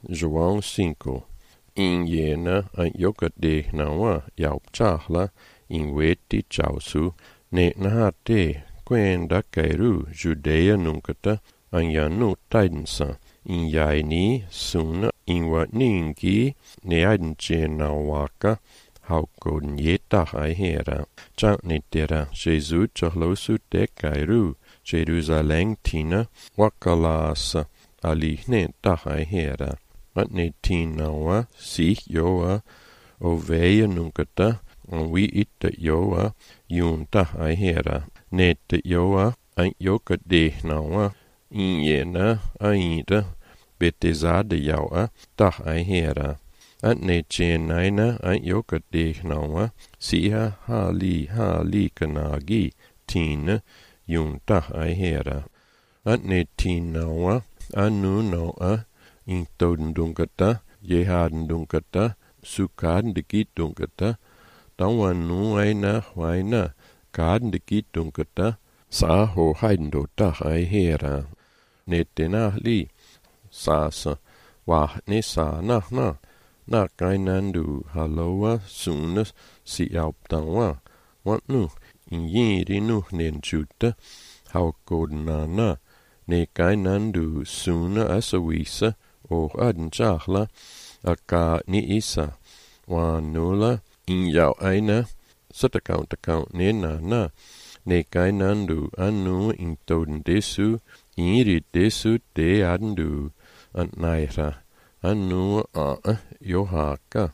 João 5. Inyena an yokadehnawa yaupchahla inweti chausu ne nahate kwenda kairu Judea nunkata an yanu taidensa inyaini suna inwa ningi ne aidenchenawaka haukodn yetah aihera. Chantnitera Jesus chahlosu te kairu Jerusalem tina wakalasa alihne tahaihera. Atne tinawa si yoa oveya nunkata wi itta yoa yun tahaihera. Nette yoa an yoka dehnawa inyena ainda betezada yawa tahaihera. Atne chenaina an yoka dehnawa siha hali hali kanagi tina yun tahaihera. Atne tinawa anu noa intodundunkata yehadundunkata sukadundunkata tawanu aina huaina kadundunkata saho haidendo tahaihera. Netenahli sasa wahne sa nahna nakainandu haloa sunas siauptawa watnu inyirinu nenchuta haukodnana ne kainandu suna asawisa o adenchahla aka ni isa wanula inyau aina satakauntakaunt ne nana ne kainandu anu intodendesu iniridesu te adendu antnaira anu a yohaka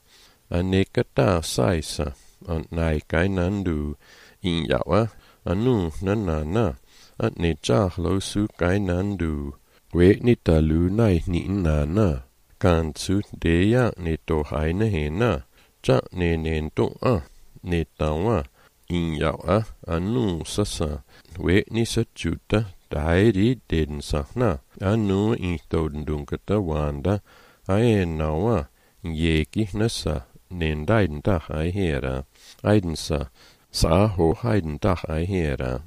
anekata saisa antnai kainandu inyawa anu nanana atne chahlo su kainandu we ni talu nai ni nana kansu deya ne to haina hena cha ne nento a ne tawa inyawa anu sasa we ni sachuta dairi den sahna anu intodundunkata wanda aenawa yeki nasa nendaiden tahaihera aidensa saho haiden tahaihera.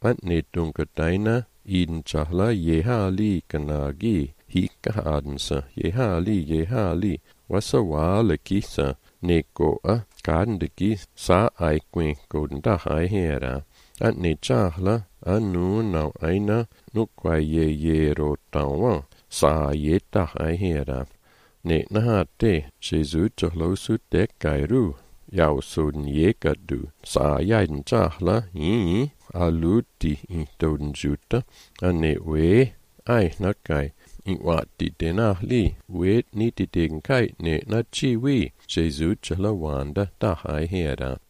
Atne dunkataina iden chahla yehali kanagi hikahadensa yehali yehali wasawala kisa nekoa kandiki sa aikwen kodendahaihera. Atne chahla anu nau aina nukwa ye tawa sa yetahaihera. Ne nahate Jesus chahlosu te kairu yausodn yekadu sa yaiden chahla yi aluti intodnjuta ane we ai nakai inwati tenahli we nititenkai ne nachiwi Jesus chalawanda tahaihera.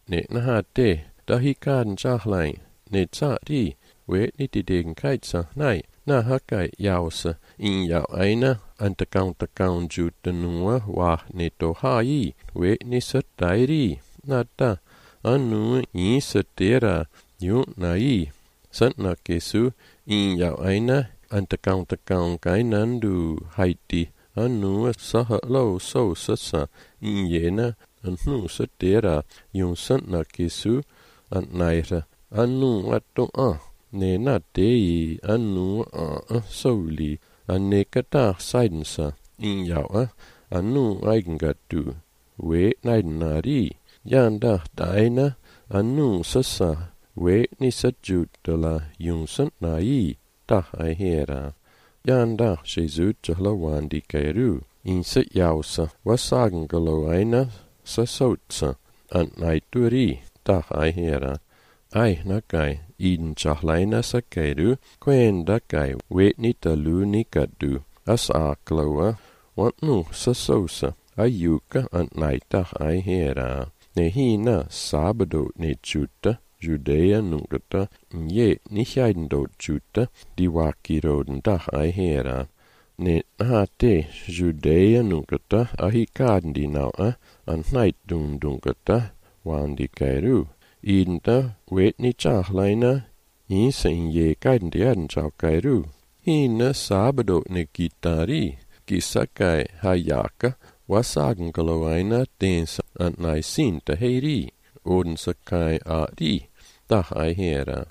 Ne nahate dahikan chahlai ne tsari we nititenkai nai nahakai yausa in yau aina antakaunjuta nua wa ne tohai we nisatairi nata anu insatera yu nai santnakesu in yau aina antakaunkainandu haiti anu sahalo so sasa inyena anu satera yun santnakesu antnaira anu ato a ne na tei anu a soli anekata saidensa in yau a anu aigengatu we naidenari yanda daina anu sasa we ni sajutala yun santnai tahaihera. Yanda Jesus chalawandi kairu insa yausa wasagangalo aina sasotsa antnaituri tahaihera. Ai nakai iden chahlaina sakairu kwendakai we ni talu nikadu asakloa watnu sasosa ayuka antnaitahaihera. Nehina sabado ne chuta Judea nunkata ye nihaidendo chuta diwakiroden tahaihera. Ne nahate Judea nunkata ahikadndi naua antnaitdundunkata wandi kairu. Identa wetni chahlaina insa inye kaidendiaden kairu. Hina sabado ne kitari kisakai hayaka wasagangaloaina tensa antnaisinta heiri. Odensakai ari tahaihera.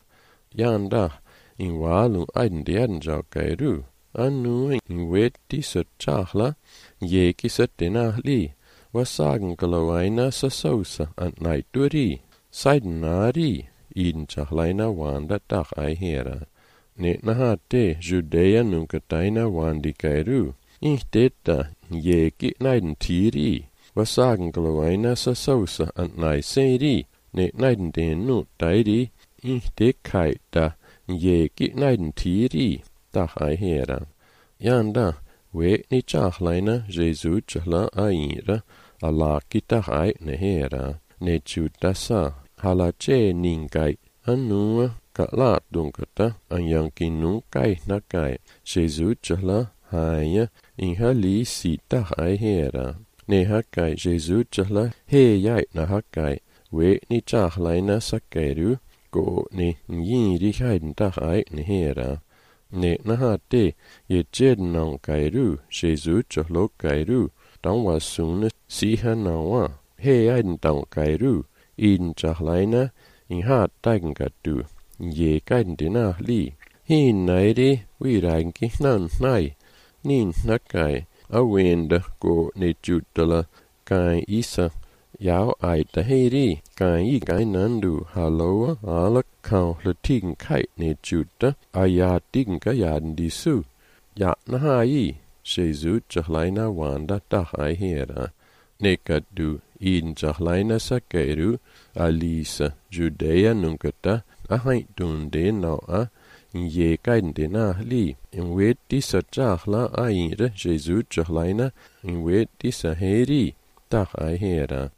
Yanda in walu aidendiaden kairu. Anu weti sa chahla, yeki sa tenahli, wasagen galoaina sa sosa ant naituri, saidenari, iden chahlaina wanda tach aihera. Ne nahate, Judea nunkataina wandi kairu, ihteta, yeki naiden tiri, wasagen galoaina sa sosa ant naiseri, ne naiden den nu tairi, ihte kaita, yeki naiden tiri, tach aihera. Yanda, we ni chahlaina Jesu chahla aira, alaki tahai nehera, ne chutasa, halache ninkai, anua, kala dunkata, anyanki nunkai nakai, Jesu chahla haya, inhali si tahai hera. Ne hakai Jesu chahla he yai na hakai, we ni chahlaina sakeru, go ni yiri haiden tahai nehera. Ne nahate, ye jednan kairu, Jesu chahlo kairu, dan sune siha nawa, he aiden dan kairu, iden chahlaina, in hat taigen ye kaiden dina li, hin nairi, we nan nai, nin nakai, awenda go ne jutala, kai isa, yao aita heiri, kai i kai nandu, haloa, ala kau latigen kai ne juta, aya digen kayaden di su, ya nahai, Jesu chahlaina wanda tahai hera. Nekadu iden chahlaina sakeru, alisa, Judea nunkata, ahai dunde noa, ye kaiden dena li, in weti sa chahla aire, Jesu chahlaina, in weti sa heri, tahai hera.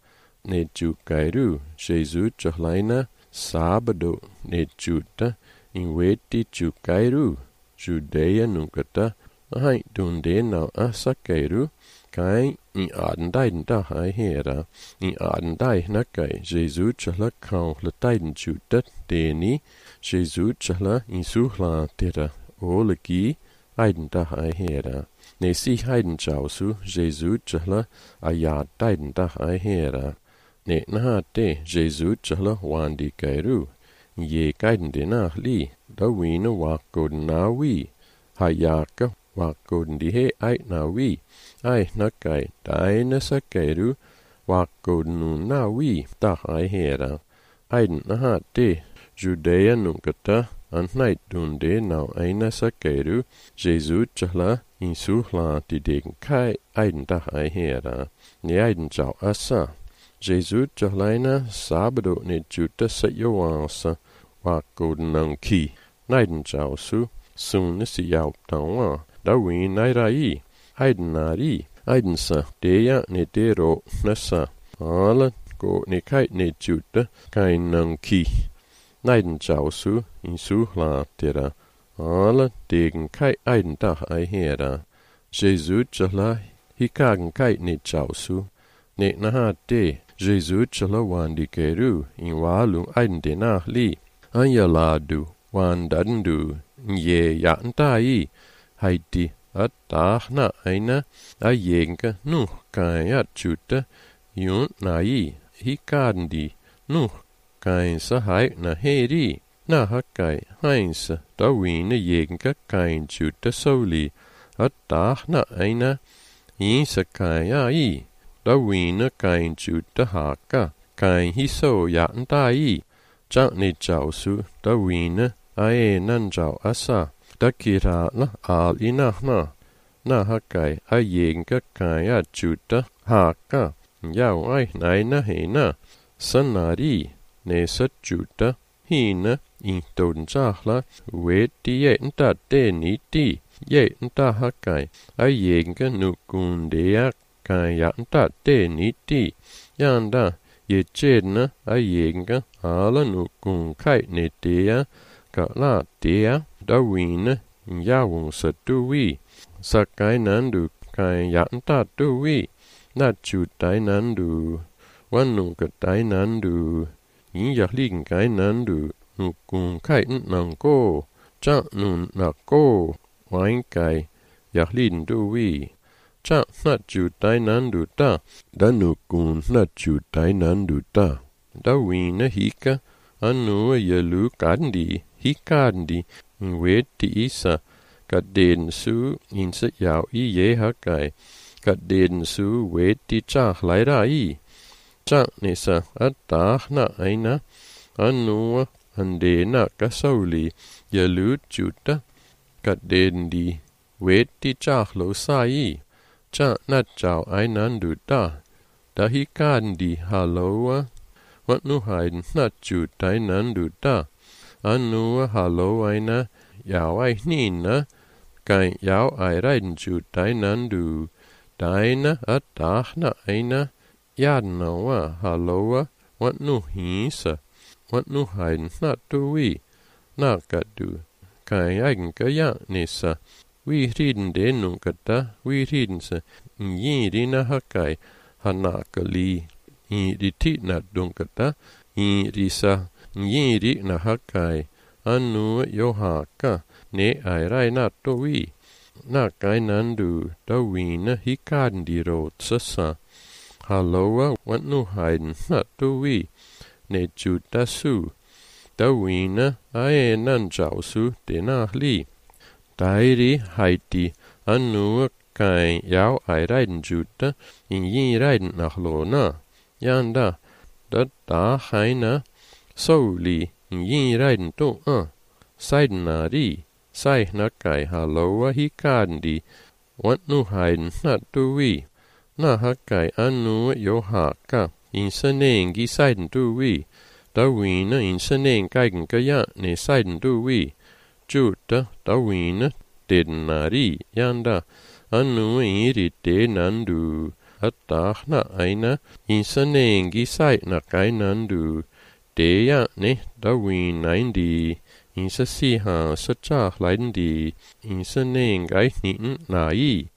Ne chukairu, Jesu chahlaina, sábado, ne chuta, in weti chukairu, Judea nunkata, Ahai dunde na asakeiru, kai in aden dahai hera, in aden dai nakai, Jesu chahla kau la taiden chuta, deni, Jesu chahla in suhla tera, olegi, aiden dahai hera. Ne si haiden chausu, Jesu chahla, ayad taiden dahai hera. Ne nahate, Jesu chahla wandi kairu, ye kaiden dena li, da wina wako na wi, hayaka wakoden he ai na wi, ai nakai, daina sakeru, wakoden na wi, tahai hera. Aiden nahate, Judea nunkata, antnait dunde nau aina sakeru, Jesu chahla, in suhla ti degen kai, aiden tahai hera. Ne aiden chau asa. Jesu chahlaina, sábado ne juta sa yoansa, wakoden nang ki, naiden chau su, sune si yau tawa. Dawin nairai, aiden nari, aiden sa, deja ne dero nasa, ala go ne kai ne juta, kai nang ki. Naiden chausu, in suhla tera, ala degen kai aiden dah ai hera. Jesu chahla, hikagen kai ne chausu, ne naha de, Jesu chahla wandi keru, in walu aiden de nah li, anyaladu, wandadendu, ye yantai, haiti atahna aina ayenka nu kaya chuta yun nai hikandi nu kainsa hai na heri na hakai hainsa dawina yenka kain chuta soli atahna aina insa kaya i dawina kain chuta haka kain hiso yantai chani chausu dawina ae nanjau asa dakira la al inahna na hakai ayenka kaya chuta haka yau ai naina hena sanari ne sa chuta hina in ton chahla weti yenta teni ti yenta hakai ayenka nukundea kaya nta teni ti yanda ye chedna ayenka ala nukun kai ne tea ka la tea dawina yawung sa tuwi sakai nandu kai yanta tuwi na chu tai nandu wanung ka tai nandu yin yahligen kai nandu nukun kai nanko cha nun nako wain kai yahlin duwi cha na chu tai nandu ta da nukun na chu tai nandu ta dawina hika anu yelu kandi hikandi weti isa Ka den su insa yao i ye hakai. Ka den su weti chahlai rai. Chanisa atahna aina anua andena kasauli yalu chuta. Ka den di weti chahlo sai. Cha na chao ainandu ta. Dahi kandi haloa. Wat nu haiden na chuta ainandu ta. Anua halo aina yao ai nina. Kai yao ai raiden chuta ainandu. Daina atahna aina. Yadnawa haloa. Wat nu hisa. Wat nu haiden na tui. Nakadu. Kai aigen ka nissa. We riden denunkata, we ridense, njirina hakai, hanakali, iritina dunkata, irisa, njirina hakai, anu yohaka, ne airai natoi, nakai nandu, dawina hikandirotsasa, haloa watnuhaiden natoi, ne jutasu, dawina aenanjausu denahli. Dairi haiti anua kai yao ai raiden juta in yin raiden nachlona. Yanda da da haina soli in yin raiden to a. Saidenari sai na kai haloa hikandi want nu haiden na tui. Na hakai anua yo haka in sanengi saiden tui. Dawina in sanen kaigen kaya ne saiden tui. Juta dawina denari yanda anu iri denandu atahna aina insanengi sai na kainandu deya ne dawinaindi insasiha sachahlaindi insanengai ni nai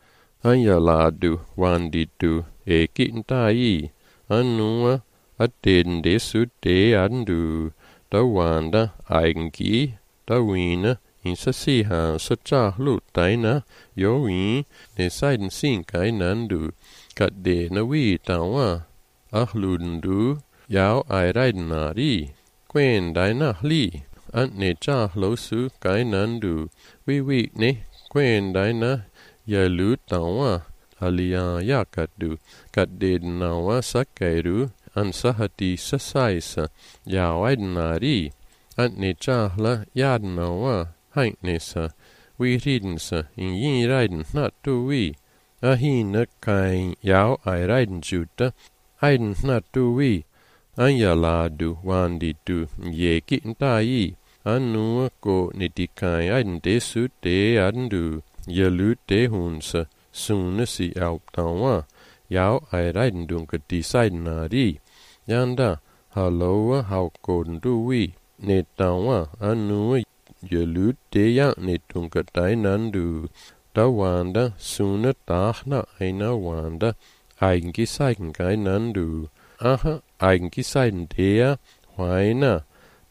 ayaladu wanditu ekintai anua adendesu de andu dawanda aigengi Dawina insasiha sachahlu taina yoi ne saiden sinkai nandu kadena wi tawa ahlundu yao ai raidenari quen daina hli an ne chahlo su kai nandu wi wi ne quen daina yalu tawa alia yakadu kadenawa sakairu an sahati sasaisa yao aidenari An ne chahla yadnawa hainesa we ridensa in yin raiden na tui ahina kai yao ai raiden juta aiden na tui anyaladu wanditu yeki ntai anua ko nitikai aiden desu te adendu yalu te hunsa suna si auptawa yao ai raiden dunka disaidenari yanda haloa haukodendui ne tawa anua yalu te ya ne tunka tainandu tawanda suna tahna aina wanda aigengi saigen kainandu aha aigengi saigen dea huaina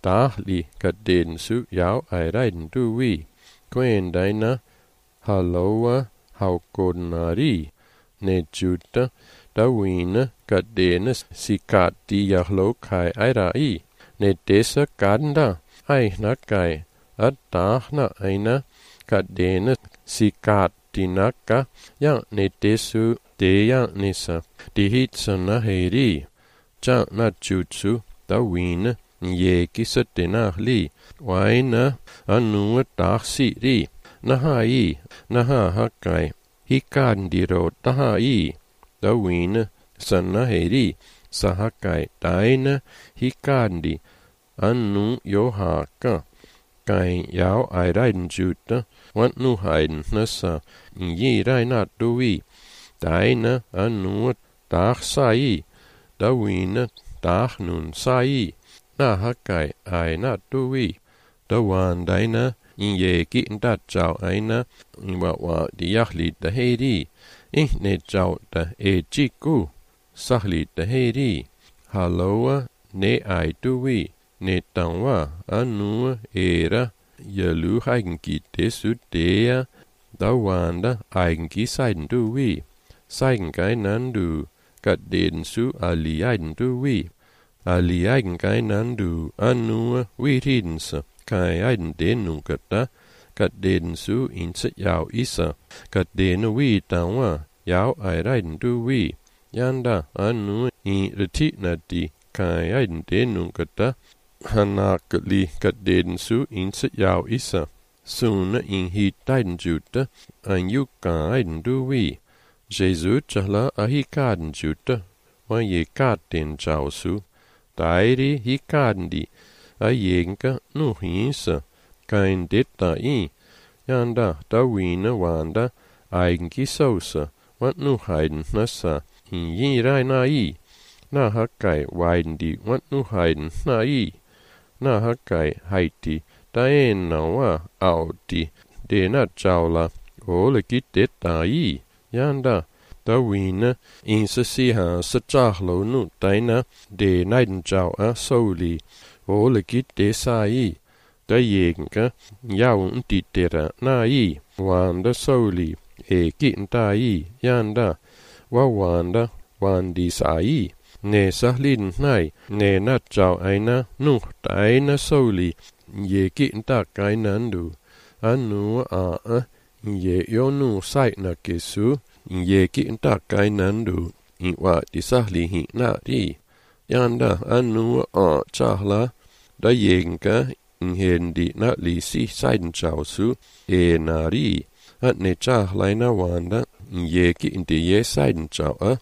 dahli kaden su yao ai raiden dui quen daina haloa haukodnari ne juta dawina kadene sikati yahlo kai airai ne desa ganda ai nakai atahna aina kadene sikatinaka ya ne desu deya nisa dihitsana heri cha na jutsu dawina yeki satenahli waina anua tahsiri nahai naha hakai hikandiro tahai dawina sanaheri sahakai daina hikandi anu yohaka kai yao ai raiden juta want nu haiden nasa yi raina dui daina anu tahsai dawina tahnun sai nahakai aina dui dawan daina yeki nda chao aina wa wa diahli da heri ne chao da e chiku sahli da heri haloa ne ai dui ne tanwa anua era yalu haigengi desu dea dawanda aigengi saiden dui saigengai nandu kaden su ali aiden dui ali aigengai nandu anua wiridensa kai aiden denunkata Kat den su inse yao isa. Kat den wi tawa yao ai raiden du wi. Yanda anu i reti na di kai aiden de nungata. Hanakli kat den su inse yao isa. Suna in hi taiden juta an yuka aiden du wi. Jesus chahla ahi kaden juta. Wa ye katen chao su. Dairi hi kaden di. A yenka nu hinsa. Kain detta i. Yanda dawina wanda aigenki sosa. Want nu haiden nasa. In yin rai na i. Na hakai waiden di want nu haiden na i. Na hakai haiti. Daen na wa audi. De na chaula. Ole ki detta i. Yanda dawina insa siha sa chahlo nu daina de naiden chao a soli. Ole ki de sa i. Da yenka yaun ditera na i. Wanda soli. E kin ta i. Yanda wa wanda wandi sa i. Ne sahlin nai. Ne na chao aina nu daina soli. Ye kin ta kainandu. Anu a a. Ye yo nu sai na kesu. Ye kin ta kainandu. I wa di sahli hi na di. Yanda anu a chahla. Da yenka inhendi na li si saiden chao su. E na ri. At ne chahla na wanda. Ye ki di ye saiden chao a.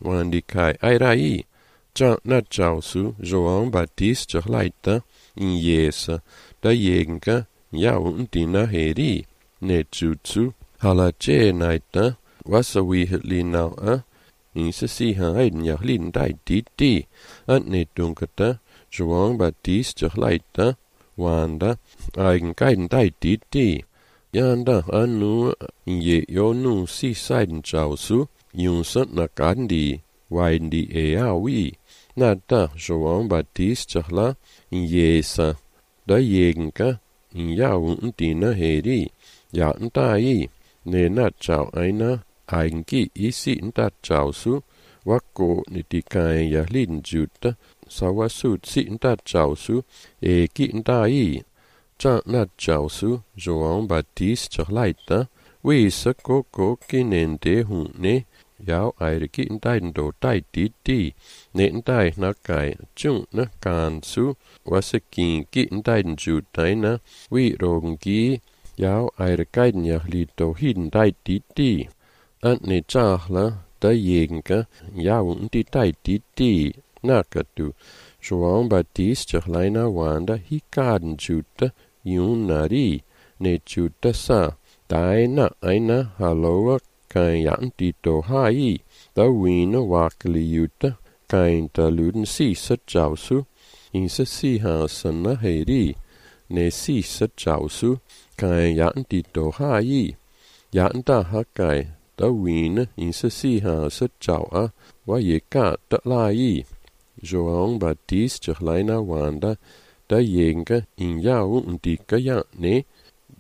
Wandi kai ai rai. Cha na chao su. João Baptiste chahlaita. In yesa. Da yenka yau di na heri. Ne jutsu. Hala che naita. Wasa wi li nau a. Insa si ha aiden yahlin dai di di. At ne dunkata. João Baptiste chahlaita. Wanda aigen gaiden dai di di. Yanda anu ye yo nu si saiden chao su. Yunsa na gandi. Waiden di e a wi. Na da João Baptiste chahla. Yesa. Da yenka. Yau dina heri. Ya ntai. Ne na chao aina. Aigen ki isi nda chao su. Wako ni di kai yahlin juta. Sawa su si nda chao su. E ki ntai. Cha na chao su. João Baptiste chahlaita. Wisa koko kinende hune. Yao aire ki ndai ndo dai di di. Ne ndai na kai chung na kan su. Wasa ki ki ndai nju dai na. Wi rogen ki. Yao aire kaiden yahli do hiden dai di di. Ant ne chahla da yenka. Yao ndi dai di di. Nakatu. João Baptiste chahlaina wanda hi kaden juta. Yun nari. Ne juta sa. Dai na aina haloa kain yan di do hai. Da wina wakli yuta. Kain da luden si sa chao su. Insa si ha sana heri. Ne si sa chao su. Kain yan di do hai. Yan da ha kai. Da wina insa si ha sa chao a. Wa ye ka da lai. João Baptiste chahlaina wanda. Da yenka in yau ndi ka ya ne.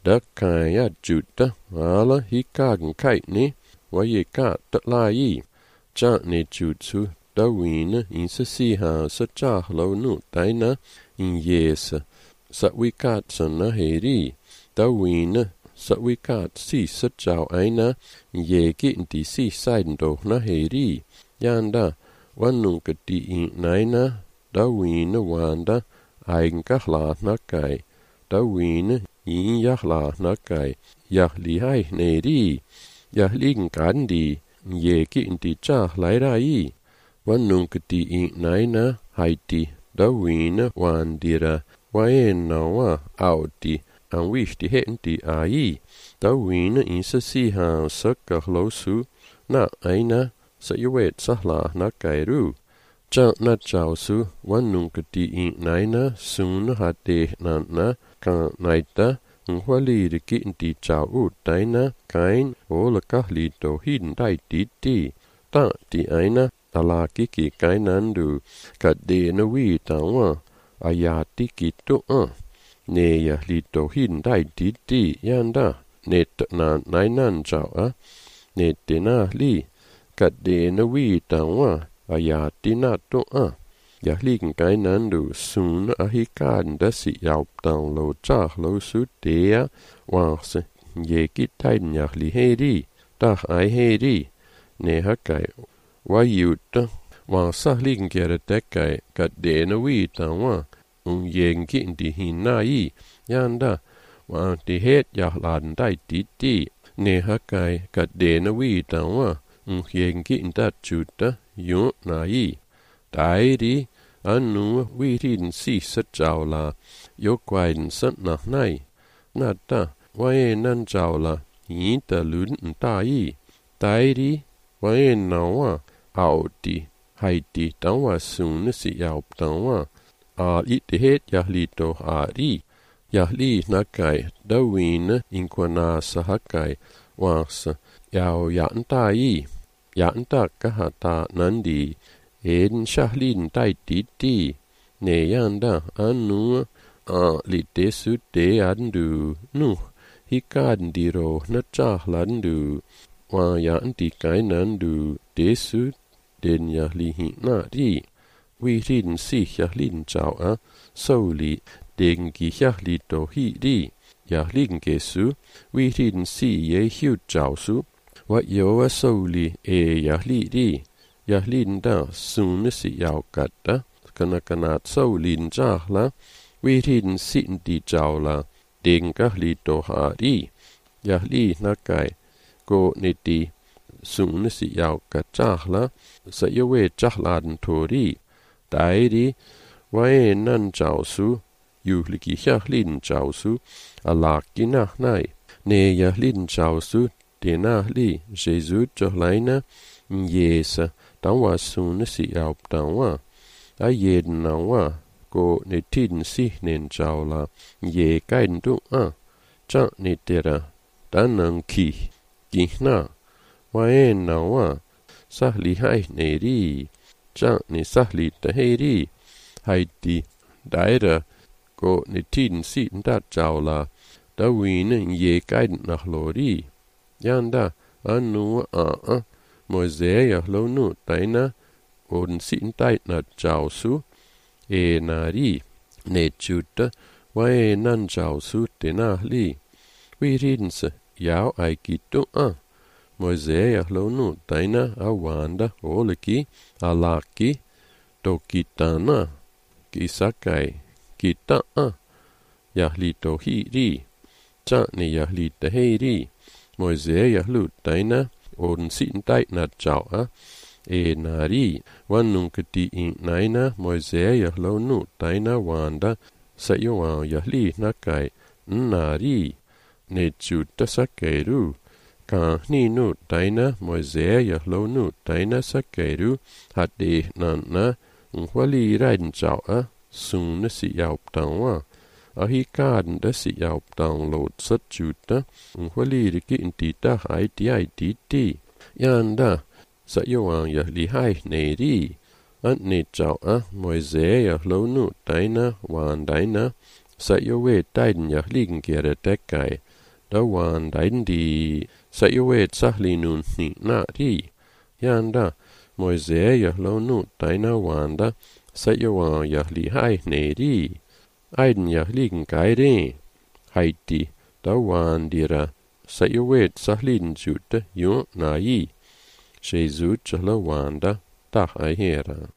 Da kai ya juta. Ala hi kagen kai ne. Wa ye ka da lai. Cha ne jutsu. Da wina insa si ha sa chahlo nu daina in yesa. Sa wi kat sana heri. Da wina sa wi kat si sa chao aina. Ye ki ndi si saiden do na heri. Yanda wanunka di in naina. Da wina wanda aigen kahla na kai. Da wina in yahla na kai. Yahli hai neri. Yahligen grandi. Ye ki ndi chahlai rai. Wanunka di in naina haiti. Da wina wandira. Waena wa audi. An wishti hendi ai. Da wina insa si ha sa kahlo su. Na aina sa yuet sahla na kairu. Cha na chao su. Wanunka di in naina sun ha de na na ka naita. Nhwaliri ki ndi chao u daina kain ola kahli do hiden dai di di. Ta di aina ala kiki kainandu. Ka de na wi tawa. Ayati ki tu a. Ne yahli do hiden dai di di. Yanda. Ne na nainan chao a. Ne te na li. Ka de na wi tawa. Ayati na tu a. Yahligen gainandu sun ahikaden dasi yaupdan lo chahlo su dea wanse yeki taiden yahli heri dah ai heri ne hakai wayut wansahligen gere dekai gat dena wi tanwa un yegen di hinai yanda wan di het yahladen dai di di ne hakai gat dena wi tanwa un yegen dat chuta yu nai Dairi anu wirin si sa yo kwaiden san na nai na ta wae nan jaula yin ta luden ta yi dairi wae na wa audi haiti tanwa sune si yaup tanwa a i te het yahli to ari yahli nakai dawin inkwana sahakai wans yao yan ta yi yan ta kahata nandi Eden shahlin dai di di ne yanda anu a li desu de andu nu hikaden diro na chahlandu wa yan di kainandu desu den yahli hi na di wi rin si yahlin chao a soli degen gi yahli do hi di yahlin gesu wi rin si ye hu chao su wa yo a soli e yahli di Yahlin da sune si yaukatta, kana solin jahla, wirin sin di jaula, dengahli do hari. Yahli nakai, go niti, sune si yauka jahla, sa yowe jahladen tori. Dairi, wae nan jausu, juhliki yahlin jausu, alaki nahnai. Ne yahlin jausu, denahli, Jesu johlaina, Jesa, danwa sune si yaup danwa. A jeden nawa, go ne tiden si nen jaula, ye gaiden du a, cha ne dera, danan ki, gihna, wae nawa, sahli hai ne ri, cha ne sahli da he ri, haiti, daira, go ne tiden si da jaula, da wine ye gaiden nach lori. Yanda, anu a a, Moisea lonu taina oden sin taina jausu e nari ne chuta wae nan jausu tena li wi rinse yao ai kitu a Moisea lonu taina awanda oleki alaki tokitana kisakai kita a yahli tohi ri cha ne yahli tehi ri Moisea lu taina oden sin taina chao a e nari wanung ti in naina Moisea lonu taina wanda sa yoan yahli nakai nari ne chuta sakeru ka ni nu taina Moisea lonu taina sakeru hade nana nhwali raiden chao a sune si yaup tanwa a hi garden da si yaup download sa chuta nhwali riki intita hai ti ai ti ti yanda sa yoan yahli hai ne ri an ne chao a Moisea lonu taina wandaina sa yowe taiden yahligen gere dekai da wandaiden di sa yowe sahli nun ni na ri yanda Moisea lonu taina wanda sa yoan yahli hai ne ri Aiden yahligen gaide haiti da wandira sa yowe sahlin jute yo na yi Jesus la wanda da ai hera.